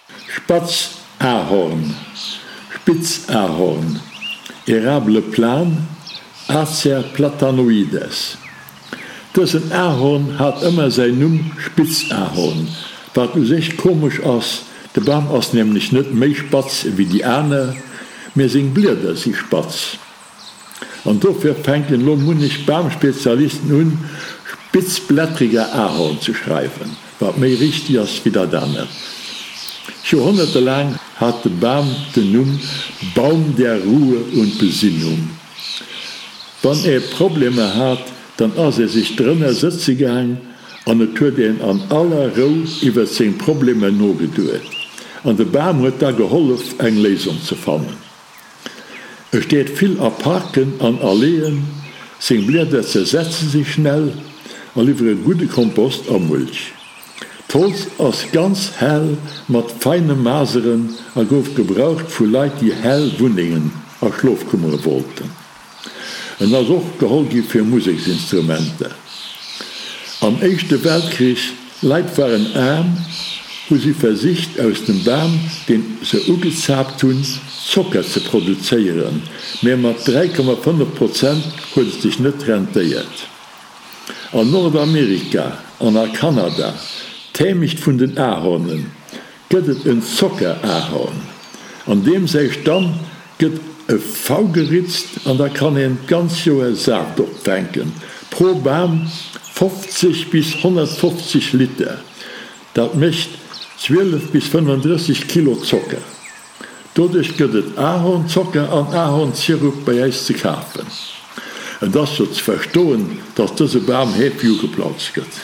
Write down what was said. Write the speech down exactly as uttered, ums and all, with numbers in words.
Spatz Ahorn, Spitzahorn, Érable plane, Acer platanoides. Dësen Ahorn hat ëmmer säin Numm Spitzahorn, wat u sech komesch ass, de Bam ass nämlech net méi spatz ewéi déi aner, mee seng Blieder si spatz. An dofir fänken elo munnech Bamspezialisten un, Spitzblättriger Ahorn ze schreiwen, wat méi richteg ass wéi dat anert. Joerhonnerte laang hat de Bam den Numm Baum der Ruhe und Besinnung. Wann ee Problemer hat, dann ass ee sech drënner sëtze gaang an et huet een an aller Rou iwwert seng Problemer nogeduet. An de Bam huet da gehollef, eng Léisung ze fannen. E steet vill a Parken an Alleeën, seng Blieder zersetze sech schnell a liwwere gudde Kompost a Mulch. D'Holz ass ganz hell mat feine Maseren a gouf gebraucht vu Leit déi hell Wunnengen a Schlofkummere wollten. En ass och geholl gi fir Museksinstrumenter. Am Éischte Weltkrich, Leit waren aarm, hu si versicht aus dem Bam, deen se ugezaapt hunn, Zocker ze produzéieren, mä mat dräi Komma fënnef Prozent huet et sech net rentéiert. An Nordamerika an a Kanada, d'Heemecht vun den Ahornen, gëtt et en Zockerahorn. An deem säi Stamm gëtt e V geritzt an da kann een d'ganz Joer Saaft opfänken, pro Bam fofzeg bis honnertfofzeg Liter, dat mécht zwielef bis fënnefendrësseg Kilo Zocker. Doduerch gëtt et Ahornzocker an Ahornsirup bei äis ze kafen. Et ass jo ze verstoen, dass dëse Bam heefeg ugeplautzt gëtt.